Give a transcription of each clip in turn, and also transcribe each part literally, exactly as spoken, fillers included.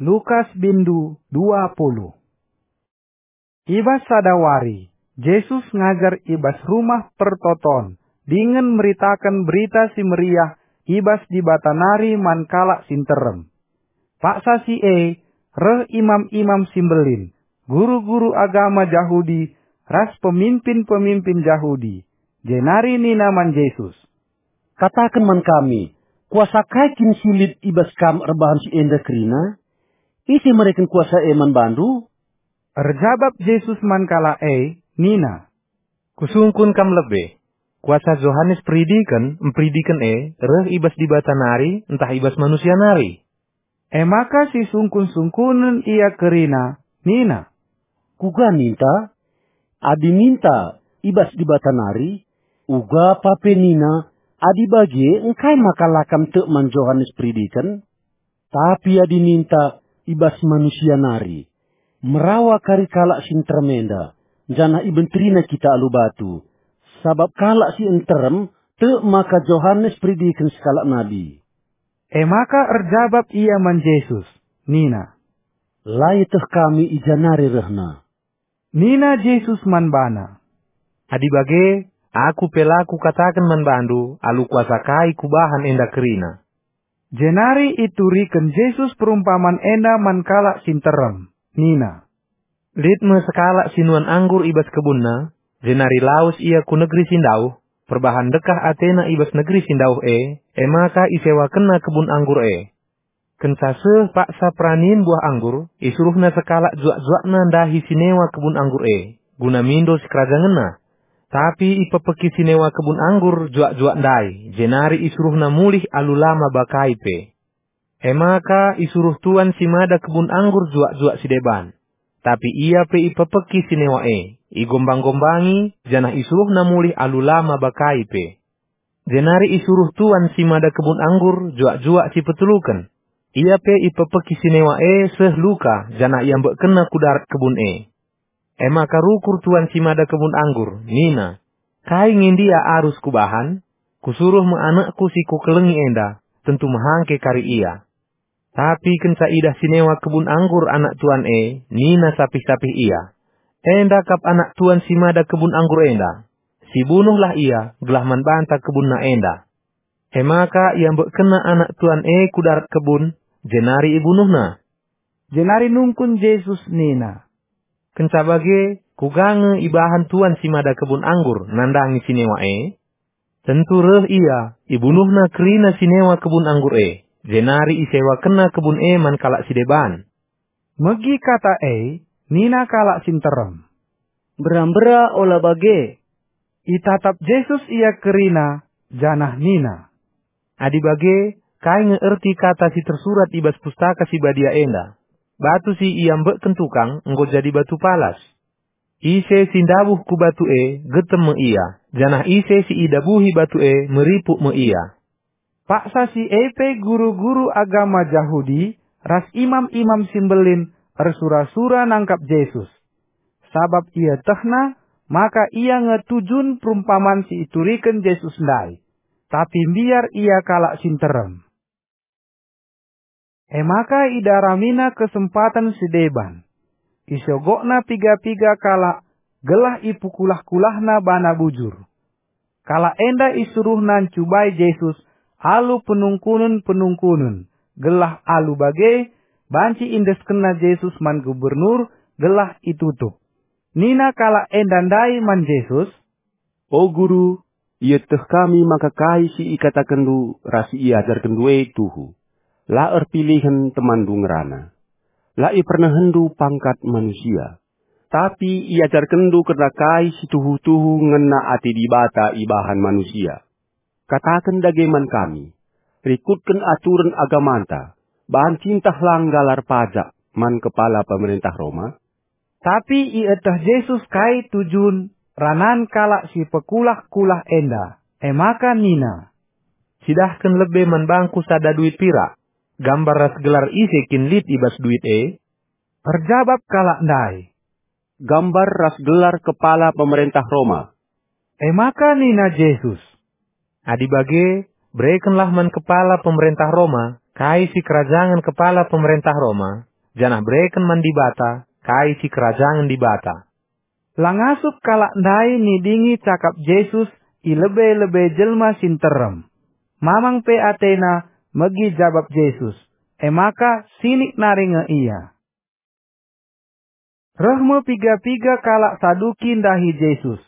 Lukas bindu dua puluh. I bas sada wari, Jesus ngajar i bas Rumah Pertoton dingen meritaken Berita Si Meriah i bas Dibata nari man kalak si nterem. Paksa si e reh imam-imam si mbelin, guru-guru agama Jahudi, ras peminpin-peminpin Jahudi, jenari nina man Jesus, "Kataken man kami, kuasa kai kin si lit i bas Kam erbahan si enda kerina? Ise mereken kuasa e man baNdu?" Erjabap Jesus man kalak e nina, "Kusungkun kam lebe. Kuasa Johanes Peridiken mperidiken e reh i bas Dibata nari ntah i bas manusia nari?" E maka sisungkun-sungkunen ia kerina nina, "Kuga ninta? Adi ninta i bas Dibata nari, uga pa pe nina, adi bage engkai maka la kam tek man Johanes Peridiken? Tapi adi ninta i bas manusia nari, merawa kari kalak si nterem enda, janah ibenterina kita alu batu, sabap kalak si nterem tek maka Johanes Peridiken sekalak nabi." E maka erjabap ia man Jesus, nina, "La ieteh kami i ja nari rehna." Nina Jesus man bana, "Adi bage, Aku pe la Kukataken man bandu alu kuasa kai Kubahan enda kerina." Jenari ituriken Jesus perumpaman enda man kalak si nterem, nina, "Lit me sekalak si nuan anggur i bas kebunna, jenari lawes ia ku negeri si ndauh, perbahan ndekah atena i bas negeri si ndauh e, e maka isewakenna kebun anggur e. Kenca seh paksa peranin buah anggur, isuruhna sekalak juak-juakna ndahi si newa kebun anggur e, guna mindo sikerajangenna. Tapi ipepeki si newa kebun anggur juak-juak ndai, jenari isuruhna mulih alu la maba kai pe. E maka isuruh tuan si mada kebun anggur juak-juak si deban. Tapi ia pe ipepeki si newa e, igombang-gombangi, janah isuruhna mulih alu la maba kai pe. Jenari isuruh tuan si mada kebun anggur juak-juak si peteluken. Ia pe ipepeki si newa e seh luka, janah iambekkenna ku darat kebun e. E maka rukur tuan si mada kebun anggur, nina, 'Kai nge ndia arus kubahan? Kusuruh me anakku si kukelengi enda, tentu mehangke kari ia.' Tapi kenca idah si newa kebun anggur anak tuan e, nina sapih-sapih ia, 'Enda kap anak tuan si mada kebun anggur enda. Sibunuhlah ia, gelah man banta kebunna enda.' E maka iambekkenna anak tuan e ku darat kebun, jenari ibunuhna." Jenari nungkun Jesus nina, "Kenca bage, kuga nge ibahan tuan si mada kebun anggur nandangi si newa e? Tentu reh ia, ibunuhna kerina si newa kebun anggur e, jenari isewakenna kebun e man kalak si deban." Megi kata e, nina kalak si nterem, "Mbera-mbera ola bage!" Itatap Jesus ia kerina, janah nina, "Adi bage, kai nge erti kata si tersurat i bas Pustaka Si Badia enda, 'Batu si iambekken tukang enggo jadi batu palas. Ise si ndabuh ku batu e, getem me ia, janah ise si idabuhi batu e, meripuk me ia.'" Paksa si e pe guru-guru agama Jahudi ras imam-imam si mbelin ersura-sura nangkap Jesus. Sabap ietehna maka ia nge tujun perumpaman si ituriken Jesus ndai, tapi mbiar ia kalak si nterem. E maka idaramina kesempaten si deban. Isogokna piga-piga kalak gelah ipukulah-kulahna bana bujur. Kalak enda isuruhna ncubai Jesus alu penungkunen-penungkunen, gelah alu bage banci iendeskenna Jesus man gubernur gelah itutup. Nina kalak enda ndai man Jesus, "O Guru, ieteh kami maka kai si ikatakenndu ras si iajarkenndu e tuhu. La erpilihen temanndu ngerana. La ipernehenndu pangkat manusia. Tapi iajarkenndu kerna kai si tuhu-tuhu ngena ate Dibata ibahan manusia. Kataken dage man kami, rikutken aturen agamanta, banci ntah la nggalar pajak man kepala pemerentah Roma?" Tapi ieteh Jesus kai tujun ranan kalak si pekulah-kulah enda, e maka nina, "Cidahken lebe man bangku sada duit pirak. Gambar ras gelar ise kin lit i bas duit e?" Erjabap kalak ndai, "Gambar ras gelar kepala pemerentah Roma." E maka nina Jesus, "Adi bage, berekenlah man kepala pemerentah Roma kai si kerajangen kepala pemerentah Roma, janah bereken man Dibata kai si kerajangen Dibata." La ngasup kalak ndai nidingi cakap Jesus i lebe-lebe jelma si nterem. Mamang pe atena megi jabap Jesus, e maka sinik nari nge ia. Reh me piga-piga kalak Saduki ndahi Jesus.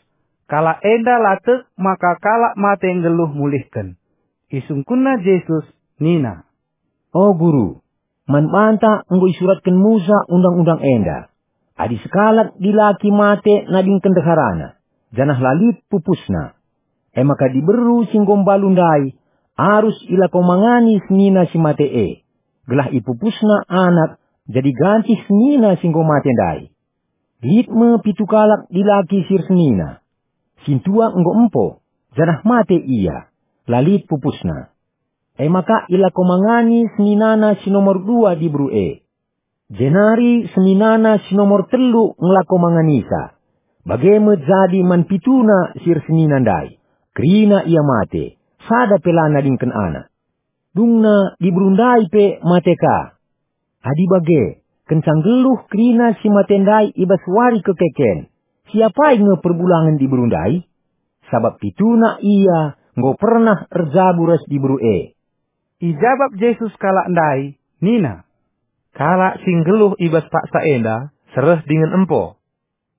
Kalak enda la tek maka kalak mate nggeluh mulihken. Isungkunna Jesus nina, "O Guru, man banta enggo isuratken Musa Undang-undang enda, adi sekalak dilaki mate nadingken ndeharana, janah la lit pupusna. E maka diberu si enggo mbalu ndai arus ilakomangani senina si mate e, gelah ipupusna anak jadi gancih senina si enggo mate ndai. Lit me pitu kalak dilaki si ersenina. Sintua enggo empo, janah mate ia, la lit pupusna. E maka ilakomangani seninana si nomor dua diberu e. Jenari seninana si nomor telu ngelakomanganisa. Bage me jadi man pituna si ersenina ndai. Kerina ia mate, sada pe la nadingken anak. Dungna diberu ndai pe mate ka. Adi bage, kenca nggeluh kerina si mate ndai i bas wari kekeken, siapai nge perbulangen diberu ndai? Sabap pituna ia enggo pernah erjabu ras diberu e." Ijabap Jesus kalak ndai nina, "Kalak si nggeluh i bas paksa enda sereh dingen empo.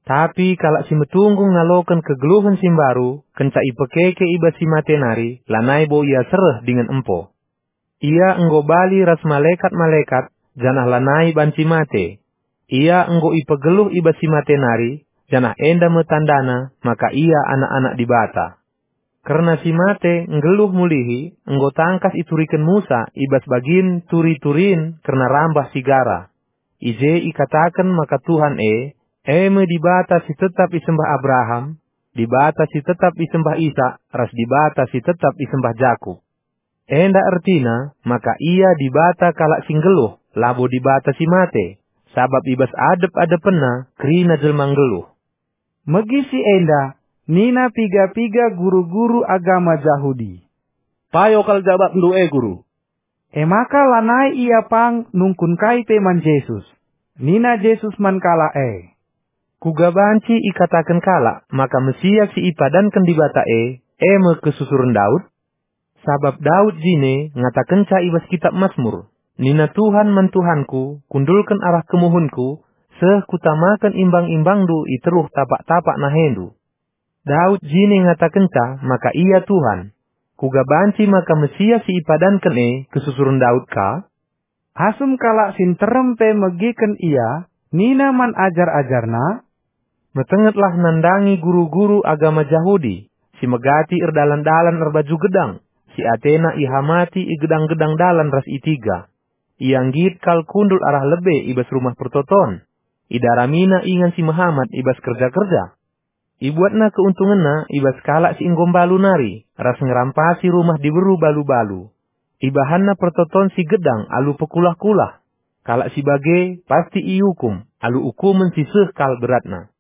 Tapi kalak si metunggung ngaloken kegeluhen si mbaru kenca ipekeke i bas si mate nari, lanai bo ia sereh dingen empo. Ia enggo bali ras malekat-malekat, janah lanai banci mate. Ia enggo ipegeluh i bas si mate nari, janah enda me tandana maka ia anak-anak Dibata. Kerna si mate nggeluh mulihi enggo tangkas ituriken Musa i bas bagin turi-turin kerna rambah si gara. I je ikataken maka Tuhan e, e me Dibata si tetap isembah Abraham, Dibata si tetap isembah Isak, ras Dibata si tetap isembah Jakup. Enda ertina maka Ia Dibata kalak si nggeluh, labo Dibata si mate, sabap i bas adep-adepenNa kerina jelma nggeluh." Megi si enda, nina piga-piga guru-guru agama Jahudi, "Payo kal jabapndu e, Guru." E maka lanai ia pang nungkun kai pe man Jesus. Nina Jesus man kalak e, "Kuga banci ikataken kalak maka Mesias si ipadanken Dibata e, e me kesusuren Daud? Sabap Daud jine ngatakenca i bas Kitap Masmur, 'Nina Tuhan man Tuhanku, kundulken arah kemuhenku, seh kutamaken imbang-imbangNdu i teruh tapak-tapak naheNdu.' Daud jine ngatakenca maka Ia Tuhan. Kuga banci maka Mesias si ipadanken e kesusuren Daud ka?" Asum kalak si nterem pe megiken Ia, nina man ajar-ajarNa, "Metengetlah nandangi guru-guru agama Jahudi, si megati erdalan-dalan erbaju gedang, si atena ihamati i gedang-gedang dalan ras i tiga. Ia nggit kal kundul arah lebe i bas Rumah Pertoton. Idaramina ingan si mehamat i bas kerja-kerja. Ibuatna keuntungenna i bas kalak si enggo mbalu nari, ras ngerampasi rumah diberu balu-balu. Ibahanna pertoton si gedang alu pekulah-kulah. Kalak si bage pasti iukum alu ukumen si seh kal beratna."